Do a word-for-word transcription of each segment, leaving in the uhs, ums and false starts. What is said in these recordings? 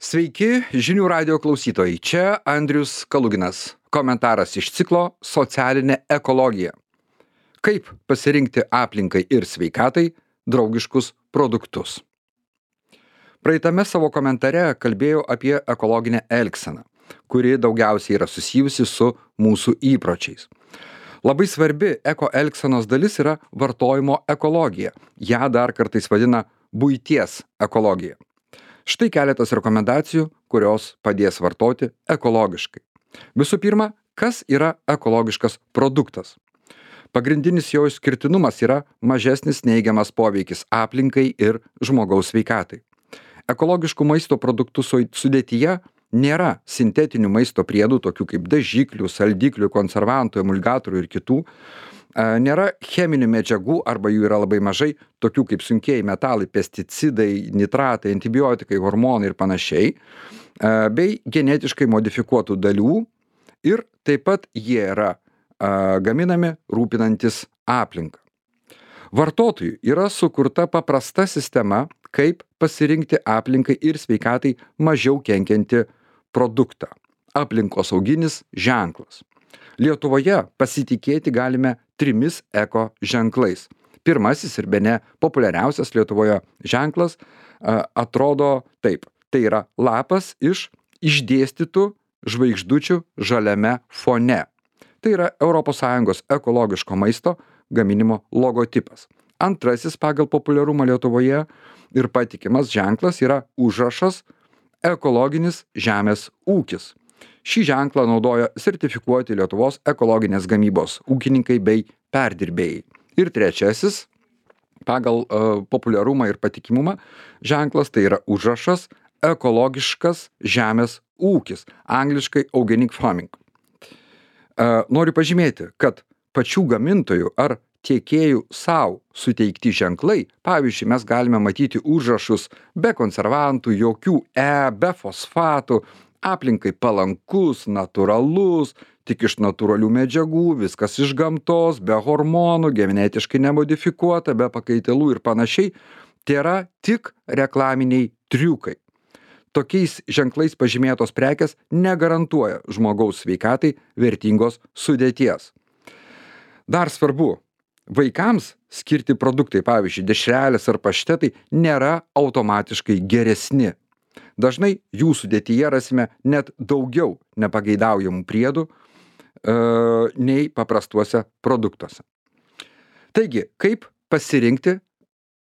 Sveiki, žinių radio klausytojai. Čia Andrius Kaluginas. Komentaras iš ciklo Socialinė ekologija. Kaip pasirinkti aplinkai ir sveikatai draugiškus produktus. Praeitame savo komentare kalbėjau apie ekologinę elgseną, kuri daugiausiai yra susijusi su mūsų įpročiais. Labai svarbi eko elgsenos dalis yra vartojimo ekologija. Ja dar kartais vadina buities ekologija. Štai keletas rekomendacijų, kurios padės vartoti ekologiškai. Visų pirma, kas yra ekologiškas produktas? Pagrindinis jo išskirtinumas yra mažesnis neigiamas poveikis aplinkai ir žmogaus sveikatai. Ekologiškų maisto produktų sudėtyje nėra sintetinių maisto priedų, tokių kaip dažiklių, saldiklių, konservantų, emulgatorių ir kitų. Nėra cheminių medžiagų arba jų yra labai mažai, tokių kaip sunkieji metalai, pesticidai, nitratai, antibiotikai, hormonai ir panašiai, bei genetiškai modifikuotų dalių ir taip pat jie yra gaminami rūpinantis aplinką. Vartotojui yra sukurta paprasta sistema, kaip pasirinkti aplinkai ir sveikatai mažiau kenkiantį produktą. Aplinkosauginis ženklas. Lietuvoje pasitikėti galime trimis eko ženklais. Pirmasis ir bene populiariausias Lietuvoje ženklas a, atrodo taip. Tai yra lapas iš išdėstytų žvaigždučių žaliame fone. Tai yra Europos Sąjungos ekologiško maisto gaminimo logotipas. Antrasis pagal populiarumą Lietuvoje ir patikimas ženklas yra užrašas ekologinis žemės ūkis. Šį ženklą naudoja sertifikuoti Lietuvos ekologinės gamybos ūkininkai bei perdirbėjai. Ir trečiasis, pagal uh, populiarumą ir patikimumą, ženklas tai yra užrašas ekologiškas žemės ūkis, angliškai organic farming. Uh, noriu pažymėti, kad pačių gamintojų ar tiekėjų savo suteikti ženklai, pavyzdžiui, mes galime matyti užrašus be konservantų, jokių E, be fosfatų, aplinkai palankus, natūralus, tik iš natūralių medžiagų, viskas iš gamtos, be hormonų, genetiškai nemodifikuota, be pakaitalų ir panašiai, tai yra tik reklaminiai triukai. Tokiais ženklais pažymėtos prekės negarantuoja žmogaus sveikatai vertingos sudėties. Dar svarbu, vaikams skirti produktai, pavyzdžiui, dešrelės ar paštetai, nėra automatiškai geresni. Dažnai jų sudėtyje rasime net daugiau nepageidaujamų priedų e, nei paprastuose produktuose. Taigi, kaip pasirinkti,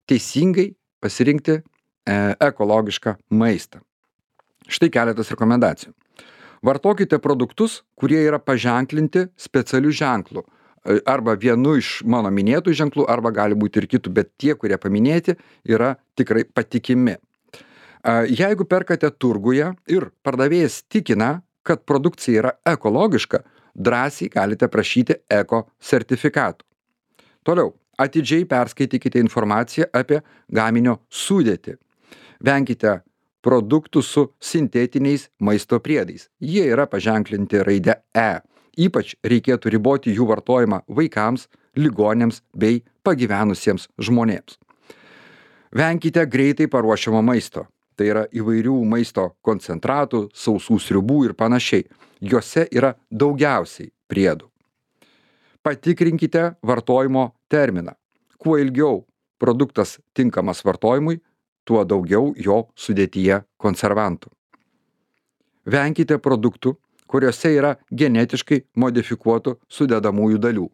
teisingai pasirinkti e, ekologišką maistą? Štai keletas rekomendacijų. Vartokite produktus, kurie yra paženklinti specialiu ženklu. Arba vienu iš mano minėtų ženklų, arba gali būti ir kitų, bet tie, kurie paminėti, yra tikrai patikimi. Jeigu perkate turguje ir pardavėjas tikina, kad produkcija yra ekologiška, drąsiai galite prašyti eko sertifikatų. Toliau, atidžiai perskaitykite informaciją apie gaminio sudėtį. Venkite produktų su sintetiniais maisto priedais. Jie yra paženklinti raide E. Ypač reikėtų riboti jų vartojimą vaikams, ligoniams bei pagyvenusiems žmonėms. Venkite greitai paruošiamo maisto. Tai yra įvairių maisto koncentratų, sausų sriubų ir panašiai. Juose yra daugiausiai priedų. Patikrinkite vartojimo terminą. Kuo ilgiau produktas tinkamas vartojimui, tuo daugiau jo sudėtyje konservantų. Venkite produktų, kuriuose yra genetiškai modifikuotų sudedamųjų dalių.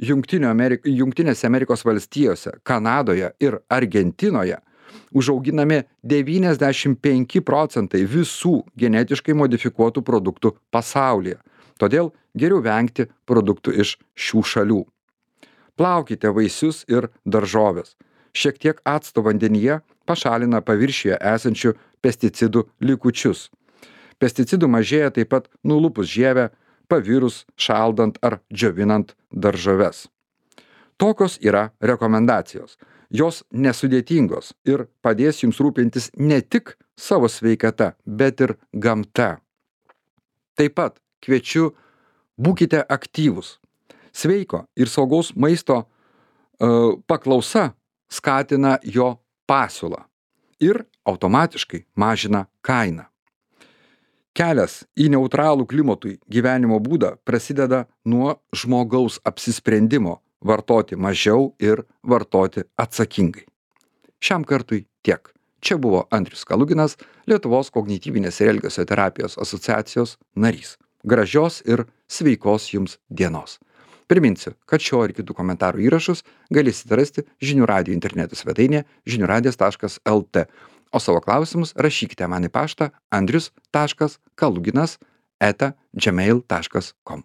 Jungtinėse Amerikos valstijose, Kanadoje ir Argentinoje užauginami devyniasdešimt penki procentai visų genetiškai modifikuotų produktų pasaulyje. Todėl geriau vengti produktų iš šių šalių. Plaukite vaisius ir daržoves. Šiek tiek acto vandenyje pašalina paviršiuje esančių pesticidų likučius. Pesticidų mažėja taip pat nulupus žievę, pavirus, šaldant ar džiovinant daržoves. Tokios yra rekomendacijos. Jos nesudėtingos ir padės jums rūpintis ne tik savo sveikata, bet ir gamta. Taip pat kviečiu, būkite aktyvūs. Sveiko ir saugaus maisto uh, paklausa skatina jo pasiūlą ir automatiškai mažina kainą. Kelias į neutralų klimatui gyvenimo būdą prasideda nuo žmogaus apsisprendimo vartoti mažiau ir vartoti atsakingai. Šiam kartui tiek. Čia buvo Andrius Kaluginas, Lietuvos kognityvinės ir elgesio terapijos asociacijos narys. Gražios ir sveikos jums dienos. Priminsiu, kad šio ir kitų komentarų įrašus galėsite rasti žinių radijo interneto svetainėje žinių radijas taškas lt. O savo klausimus rašykite man į paštą andrius taškas kaluginas eta gmail taškas com.